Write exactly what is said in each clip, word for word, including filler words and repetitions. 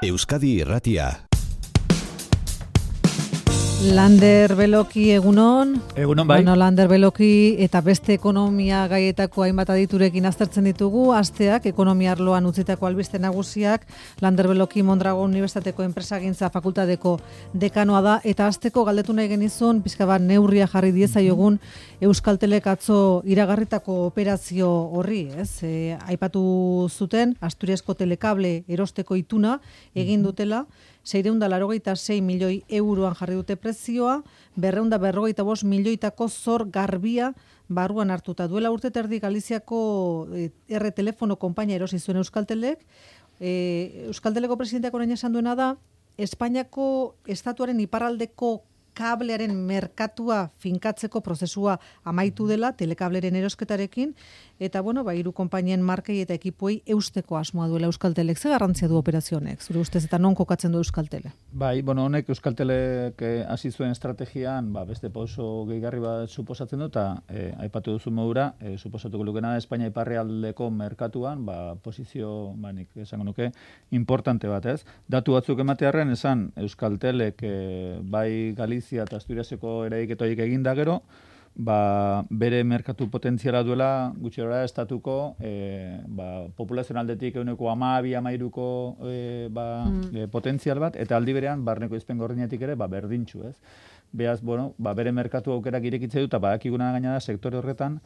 Euskadi Irratia. Lander Beloki egunon. Egunon bai. Bueno, Lander Beloki eta beste ekonomia gaietako hainbat aditurekin aztertzen ditugu. Asteak ekonomia arloan utzitako albiste nagusiak. Lander Beloki Mondragon Unibertsitateko Enpresagintza Fakultateko dekanoa da eta asteko galdetu nahi genizun pizka bat neurria jarri diezaiogun Euskaltelek atzo iragarritako operazio horri, ez? E, aipatu zuten Asturiasko Telekable erosteko ituna egin dutela. seiehun eta laurogeita sei milioi euroan jarri dute prezioa, berrehun eta berrogeita bost milioitako zor garbia barruan hartuta. Duela urte terdi Galiziako R telefono konpainia erosi zuen Euskaltelek. E, Euskalteleko presidenteak orain esan duena da, Espainiako estatuaren iparraldeko kablearen merkatua finkatzeko prozesua amaitu dela telekableren erosketarekin, eta bueno, ba, hiru konpainien markei eta ekipuei eusteko asmoa duela Euskaltelek. Ze garrantzia du operazio honek, zure ustez, eta non kokatzen du Euskaltele? Bai, bueno, honek Euskaltelek hasi zuen estrategian, ba, beste pauso gehigarri bat suposatzen du, eta eh, aipatu duzu modura, eh, suposatuko lukena Espainia iparraldeko merkatuan, ba, posizio, ba, nik esango nuke, importante bat, ez? Datu batzuk ematearren esan Euskaltelek eh, bai Galizia eta Asturiaseko eraiketoik egin da gero, ba, bere merkatu potentziala duela gutxirora estatuko e, ba, populazionaldetik euneko hamabi hamairuko e, ba, mm. e, potentzial bat, eta aldi berean barneko izpen gordinetik ere ba, berdintxu, ez? Beaz, bueno, ba, bere merkatu aukerak irekitze dut, eta badakiguna gaina da sektore horretan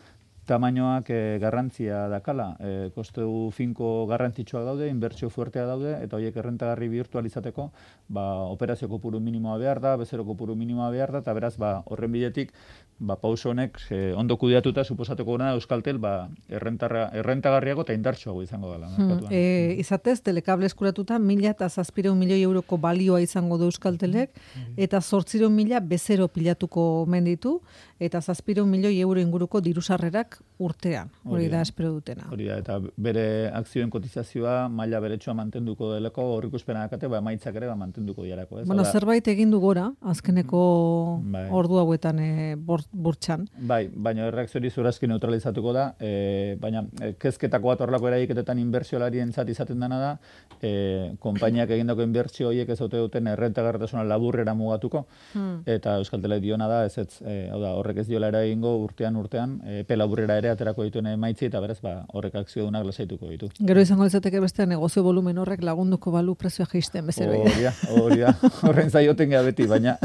tamainoak e, garrantzia dakala. E, kostu finko garrantzitsuak daude, inbertsio fuertea daude, eta horiek errentagarri virtualizateko ba, operazio kopuru minimoa behar da, bezero kopuru minimoa behar da, eta beraz ba, horren bidetik ba, pauso honek e, ondo kudeatuta suposatuko gana Euskaltel ba, errentagarriago eta indartsuago izango dela. Hmm, e, izatez, telekable eskuratuta mila eta zazpireun milioi euroko balioa izango du Euskaltelek, eta zortzireun mila bezero pilatuko omen ditu, eta zazpireun milioi euro inguruko dirusarrerak urtean, hori da espero dutena. Hori da, eta bere akzioen kotizazioa maila beretsua mantenduko delako, horrikuspena dakate, ba, emaitzak ere ba, mantenduko diarako. Ez? Bueno, Oda, zerbait egin du gora, azkeneko bai. ordu hauetan e, burtsan. Bai, baina erreakziori zurazki neutralizatuko da, e, baina e, kezketako bat horrelako eraiketetan inbertsiolarien zat izaten dena da, e, konpainiak egindako inbertsio horiek ez ote duten errentagarritasuna laburrera mugatuko, hmm. eta Euskaltelek diona da, ez ez, e, hau da, horrek ez diola eragingo urtean urtean, e, epe laburrera ere aterako dituen emaitzi, eta beraz, ba, horrek akziodunak lasaituko ditu. Gero izango izateke beste negozio volumen horrek lagunduko balu prezioa jaisten bezero. Hori da, hori da, horren zaioten gara beti, baina...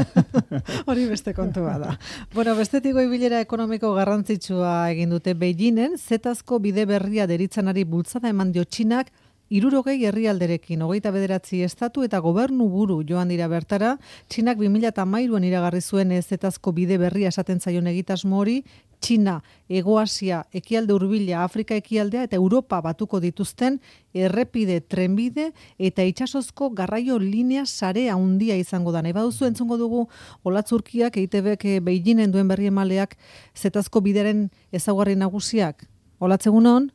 Hori beste kontua da. Bueno, bestetik bilera ekonomiko garrantzitsua egin dute Beijingen, zetazko bide berria deritzanari bultzada eman dio Txinak, hirurogei herrialderekin, hogeita bederatzi estatu eta gobernu buru joan dira bertara. Txinak bi mila hamairuan iragarri zuen zetazko bide berria esaten zaion egitasmo hori, Txina, Hego Asia, ekialde hurbila, Afrika ekialdea eta Europa batuko dituzten errepide, trenbide eta itsasozko garraio linea sarea handia izango da. Nahi baduzu entzungo dugu Olatzurkiak E I Te Bek Beijingen duen berri emaleak zetazko bideren ezaugarri nagusiak. Olatz egunon?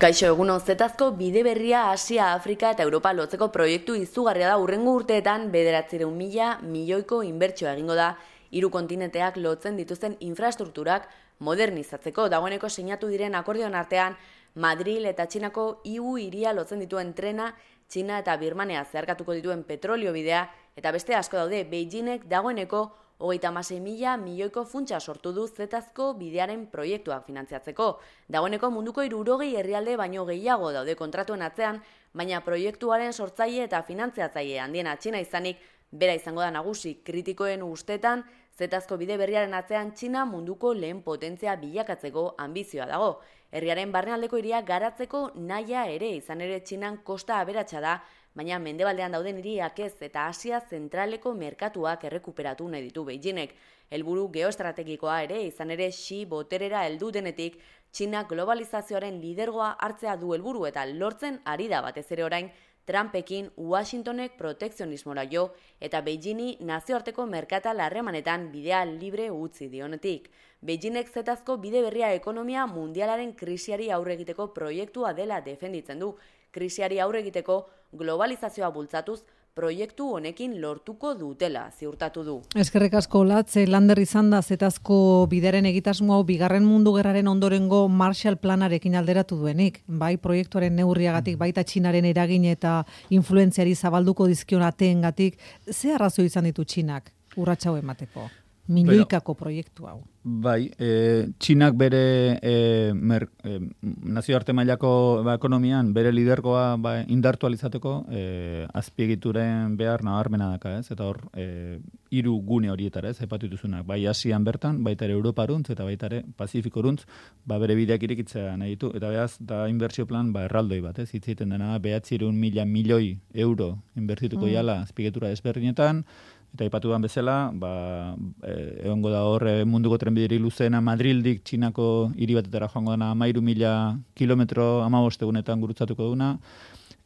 Kaixo, egunon, zetazko bide berria Asia, Afrika eta Europa lotzeko proiektu izugarria da urrengo urteetan bederatziehun mila milioiko inbertsioa egingo da hiru kontinenteak lotzen dituzten infrastrukturak modernizatzeko. Dagoeneko sinatu diren akordioen artean Madril eta Txinako hiru hiria lotzen dituen trena, Txina eta Birmania zeharkatuko dituen petrolio bidea, eta beste asko daude. Beijingek dagoeneko hogeita hamasei mila milioiko funtsa sortu du zetazko bidearen proiektuak finantziatzeko. Dagoeneko munduko hirurogei herrialde baino gehiago daude kontratuen atzean, baina proiektuaren sortzaile eta finantziatzaile handiena Txina izanik, bera izango da nagusi. Kritikoen ustetan, zetazko bide berriaren atzean Txina munduko lehen potentzia bilakatzeko ambizioa dago. Herriaren barnealdeko hiria garatzeko nahia ere, izan ere Txinan kosta aberatsa da, baina mendebaldean dauden hiriak ez, eta Asia zentraleko merkatuak errekuperatu nahi ditu Beijingek. Helburu geoestrategikoa ere, izan ere Xi boterera heldu denetik, Txina globalizazioaren lidergoa hartzea du helburu eta lortzen ari da batez ere orain Trumpekin Washingtonek protekzionismora jo eta Beijingi nazioarteko merkatal harremanetan bidea libre utzi dionetik. Beijingek zetazko bide berria ekonomia mundialaren krisiari aurre egiteko proiektua dela defenditzen du. Krisiari aurre egiteko globalizazioa bultzatuz proiektu honekin lortuko dutela ziurtatu du. Eskerrik asko Olatz, lander izan da zetazko bideren egitasmo hau bigarren mundu gerraren ondorengo Marshall Planarekin alderatu duenik. Bai proiektuaren neurriagatik, baita Txinaren eragin eta influentziari zabalduko dizkion ateengatik, ze arrazoi izan ditu Txinak urratsa hau emateko? Milioikako proiektu hau. Bai, e, Txinak bere e, mer, e, nazioarte mailako ba, ekonomian bere lidergoa ba, indartu alizateko e, azpiegituren behar nabarmena daka, ez? Eta hor, e, hiru gune horietara, ez? Aipatu dituzunak, bai Asian bertan, baita ere Europaruntz eta baita ere Pasifikoruntz, ba bere bideak irekitzea nahi ditu, eta behaz, da inbertsio plan ba erraldoi bat, ez? Hitz egiten dena behatziehun mila milioi euro inbertituko mm. jala azpiegitura desberdinetan. Eta aipatuan bezala, ba, e, egongo da hor e, munduko trenbideri luzeena Madrildik Txinako hiri batetara joango dena hamairu mila kilometro hamabost egunetan gurutzatuko duna.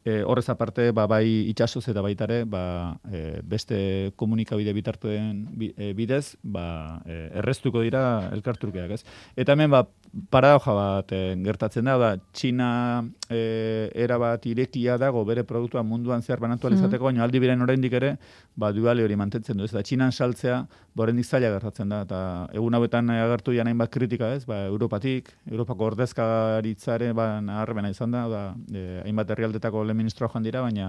E, horrez aparte, ba, bai itxasoz eta baitare, ba, e, beste komunikabide bitartuen bidez, ba, e, erreztuko dira elkartrukeak, ez? Eta hemen, ba, paradoja bat e, gertatzen da, da Txina e, erabat irekia dago bere produktua munduan zehar banatu alizateko, baina aldi biren oraindik ere, ba, duale hori mantentzen du, ez? Eta Txinan saltzea, oraindik zaila gertatzen da, eta egun hauetan agertu janein bat kritika, ez? Ba, Europatik, Europako ordezkaritzaren ba, naharremena izan da, da e, hainbat herrialdetako ministroa joan dira, baina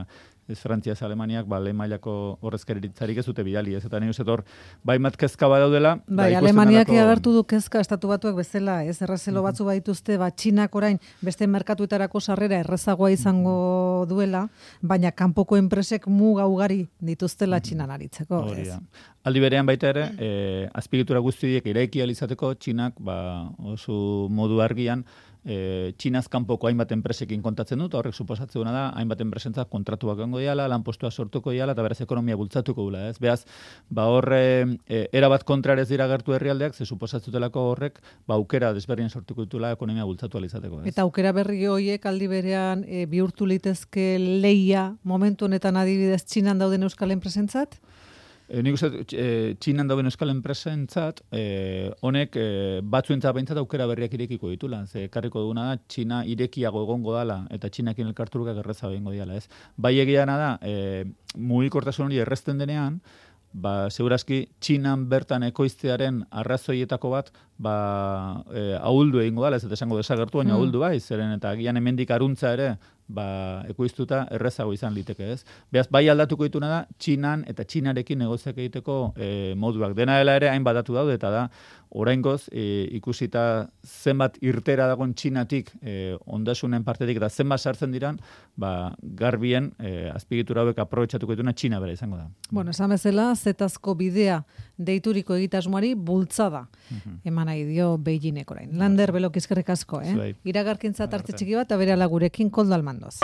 ez Frantziaz Alemaniak ba, lehen mailako horrezkaritzarik ez dute bidali, ez? Eta nire uste hor, bai mat kezka badaudela. Bai, Alemaniak alako... agertu du kezka estatu batuak bezala, ez? Errezelo mm-hmm. batzu badituzte, ba, Txinak orain beste merkatuetarako sarrera errezagoa izango duela, baina kanpoko enpresek muga ugari dituztela Txinan aritzeko. Hori da. Aldi berean baita ere, e, azpiegitura guztiek eraiki alizateko Txinak ba, oso modu argian, E, Txinaz kanpoko hainbat enpresekin kontatzen dut, horrek suposatzen duena da, hainbat enpresentzat kontratuak gongo diala, lanpostua sortuko diala, eta beraz ekonomia bultzatuko dula, ez? Beaz, ba horre, e, erabat kontrarez dira gertu herrialdeak, ze suposatzutelako horrek, ba aukera desberdin sortuko ditula ekonomia bultzatu alizateko, ez? Eta aukera berri horiek aldi berean e, bihurtu litezke leia momentu honetan adibidez Txinan dauden euskal enpresentzat? E, nik uste, e, Txinan dauden euskal enpresentzat, e, honek e, batzuentzat behintzat aukera berriak irekiko ditula. Ze karriko duguna da, Txina irekiago egongo dala, eta Txinakin elkarturukak erreza behingo diala, ez? Bai egiana da, e, mugikortasun hori errezten denean, ba, segurazki, Txinan bertan ekoiztearen arrazoietako bat, ba, e, ahuldu egingo dala, ez eta esango desagertu, baina mm. ahuldu bai, zeren eta agian hemendik aruntza ere, ba, ekoiztuta errezago izan liteke, ez? Beaz, bai aldatuko dituna da, Txinan eta Txinarekin negoziak egiteko e, moduak. Dena dela ere, hain badatu daude, eta da, oraingoz, e, ikusita zenbat irtera dagoen Txinatik, e, ondasunen partetik, eta zenbat sartzen diran, ba, garbien e, azpiegitura hauek aprobetxatuko dituna Txina bera izango da. Bueno, esan bezala, zetazko bidea deituriko egitasmoari bultzada uh-huh. eman nahi dio Beijingek orain. Lander, Belok, eskerrik asko, eh? Iragarkintza tarte txiki bat, eta bere alagurekin Koldo Almandoz.